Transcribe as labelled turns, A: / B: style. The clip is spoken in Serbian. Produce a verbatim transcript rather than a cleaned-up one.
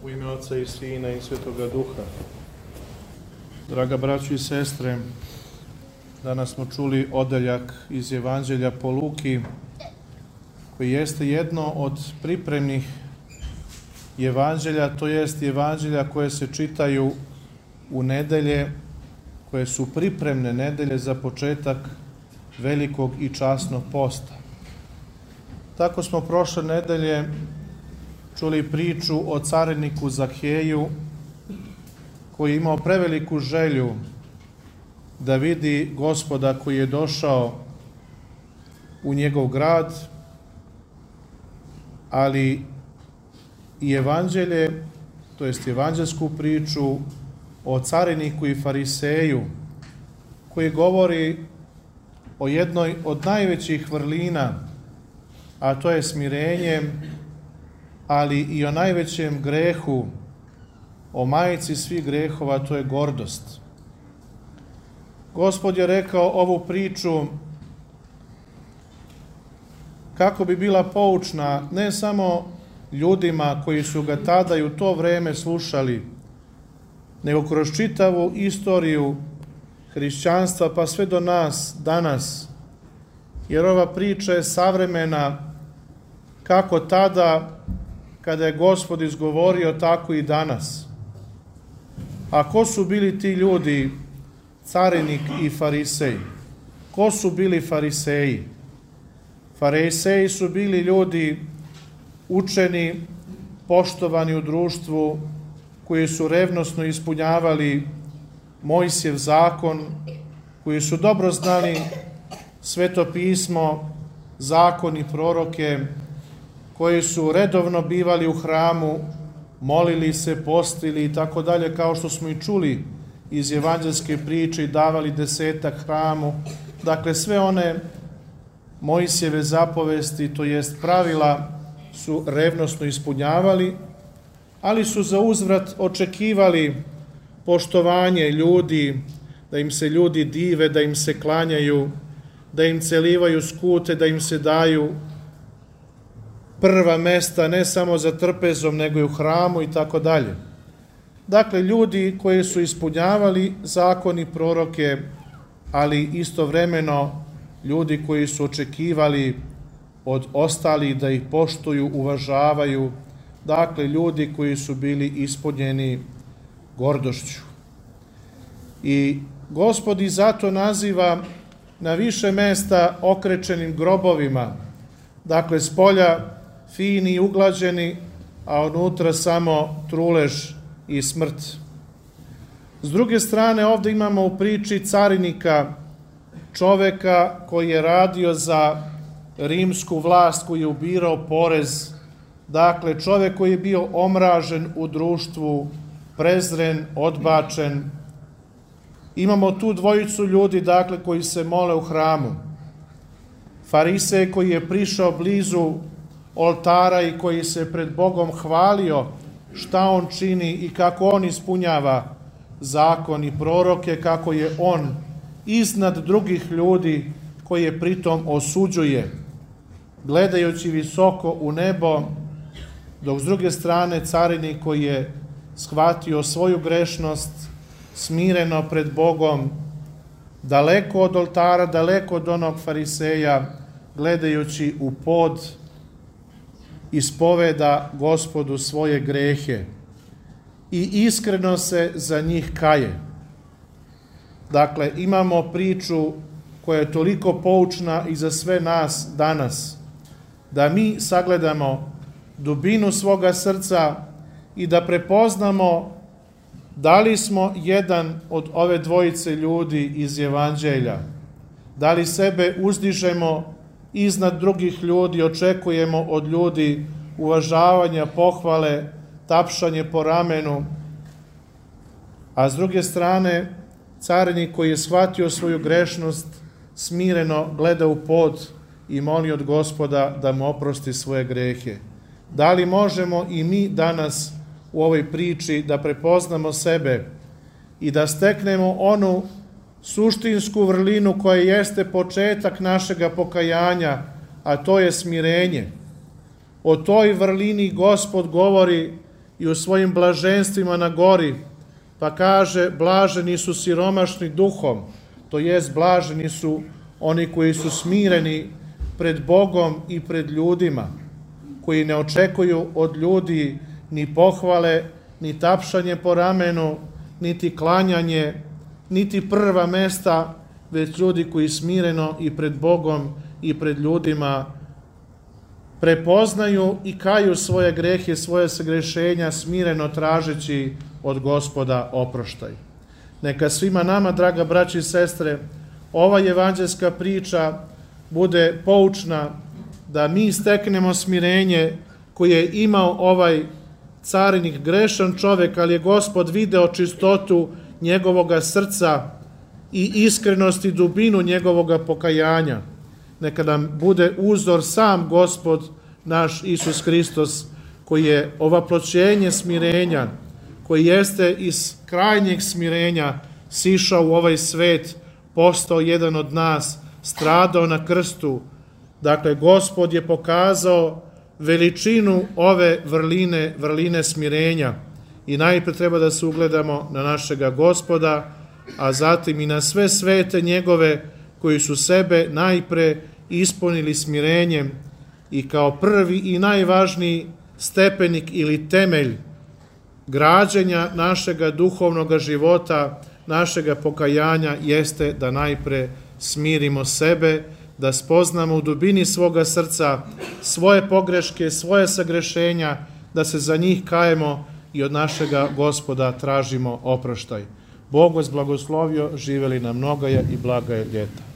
A: U ime Oca i Sina i Svetoga Duha. Draga braćo i sestre, danas smo čuli odeljak iz Evanđelja po Luki, koji jeste jedno od pripremnih evanđelja, to jest evanđelja koje se čitaju u nedelje, koje su pripremne nedelje za početak velikog i časnog posta. Tako smo prošle nedelje čuli priču o cariniku Zaheju, koji je imao preveliku želju da vidi Gospoda koji je došao u njegov grad, ali i evanđelje, to jest evanđelsku priču o cariniku i fariseju, koji govori o jednoj od najvećih vrlina, a to je smirenje, ali i o najvećem grehu, o majici svih grehova, to je gordost. Gospod je rekao ovu priču kako bi bila poučna ne samo ljudima koji su ga tada i u to vreme slušali, nego kroz čitavu istoriju hrišćanstva pa sve do nas danas, jer ova priča je savremena kako tada kada je Gospod izgovorio, tako i danas. A ko su bili ti ljudi, carinik i farisej? Ko su bili fariseji? Fariseji su bili ljudi učeni, poštovani u društvu, koji su revnosno ispunjavali Mojsijev zakon, koji su dobro znali Sveto pismo, zakon i proroke, koji su redovno bivali u hramu, molili se, postili i tako dalje, kao što smo i čuli iz evanđelske priče, i davali desetak hramu. Dakle, sve one Mojsijeve zapovesti, to jest pravila, su revnosno ispunjavali, ali su za uzvrat očekivali poštovanje ljudi, da im se ljudi dive, da im se klanjaju, da im celivaju skute, da im se daju prva mesta, ne samo za trpezom, nego i u hramu i tako dalje. Dakle, ljudi koji su ispunjavali zakon i proroke, ali istovremeno ljudi koji su očekivali od ostalih da ih poštuju, uvažavaju, dakle, ljudi koji su bili ispunjeni gordošću. I Gospod ih zato naziva na više mesta okrečenim grobovima, dakle, spolja fini i uglađeni, a unutra samo trulež i smrt. S druge strane, ovdje imamo u priči carinika, čoveka koji je radio za rimsku vlast, koji je ubirao porez, dakle, čovek koji je bio omražen u društvu, prezren, odbačen. Imamo tu dvojicu ljudi, dakle, koji se mole u hramu. Farisej koji je prišao blizu oltara i koji se pred Bogom hvalio šta on čini i kako on ispunjava zakon i proroke, kako je on iznad drugih ljudi koje pritom osuđuje, gledajući visoko u nebo, dok s druge strane carinik koji je shvatio svoju grešnost, smireno pred Bogom, daleko od oltara, daleko od onog fariseja, gledajući u pod, ispoveda Gospodu svoje grehe i iskreno se za njih kaje. Dakle, imamo priču koja je toliko poučna i za sve nas danas, da mi sagledamo dubinu svoga srca i da prepoznamo da li smo jedan od ove dvojice ljudi iz evanđelja, da li sebe uzdižemo iznad drugih ljudi, očekujemo od ljudi uvažavanja, pohvale, tapšanje po ramenu, a s druge strane carinik koji je shvatio svoju grešnost, smireno gleda u pod i moli od Gospoda da mu oprosti svoje grehe. Da li možemo i mi danas u ovoj priči da prepoznamo sebe i da steknemo onu suštinsku vrlinu koja jeste početak našega pokajanja, a to je smirenje. O toj vrlini Gospod govori i u svojim blaženstvima na gori, pa kaže blaženi su siromašni duhom, to jest blaženi su oni koji su smireni pred Bogom i pred ljudima, koji ne očekuju od ljudi ni pohvale, ni tapšanje po ramenu, niti klanjanje, niti prva mesta, već ljudi koji smireno i pred Bogom i pred ljudima prepoznaju i kaju svoje grehe, svoje sagrešenja, smireno tražeći od Gospoda oproštaj. Neka svima nama, draga braći i sestre, ova evanđelska priča bude poučna da mi steknemo smirenje koje je imao ovaj carinik, grešan čovek, ali je Gospod video čistotu njegovoga srca i iskrenost i dubinu njegovoga pokajanja. Neka nam bude uzor sam Gospod naš Isus Hristos, koji je ovaploćenje smirenja, koji jeste iz krajnjeg smirenja sišao u ovaj svet, postao jedan od nas, stradao na krstu. Dakle, Gospod je pokazao veličinu ove vrline, vrline smirenja i najpre treba da se ugledamo na našega Gospoda, a zatim i na sve svete njegove koji su sebe najpre ispunili smirenjem i kao prvi i najvažniji stepenik ili temelj građenja našega duhovnog života, našega pokajanja jeste da najpre smirimo sebe, da spoznamo u dubini svoga srca svoje pogreške, svoje sagrešenja, da se za njih kajemo i od našega Gospoda tražimo oproštaj. Bog vas blagoslovio, živeli na mnogaja i blagaja ljeta.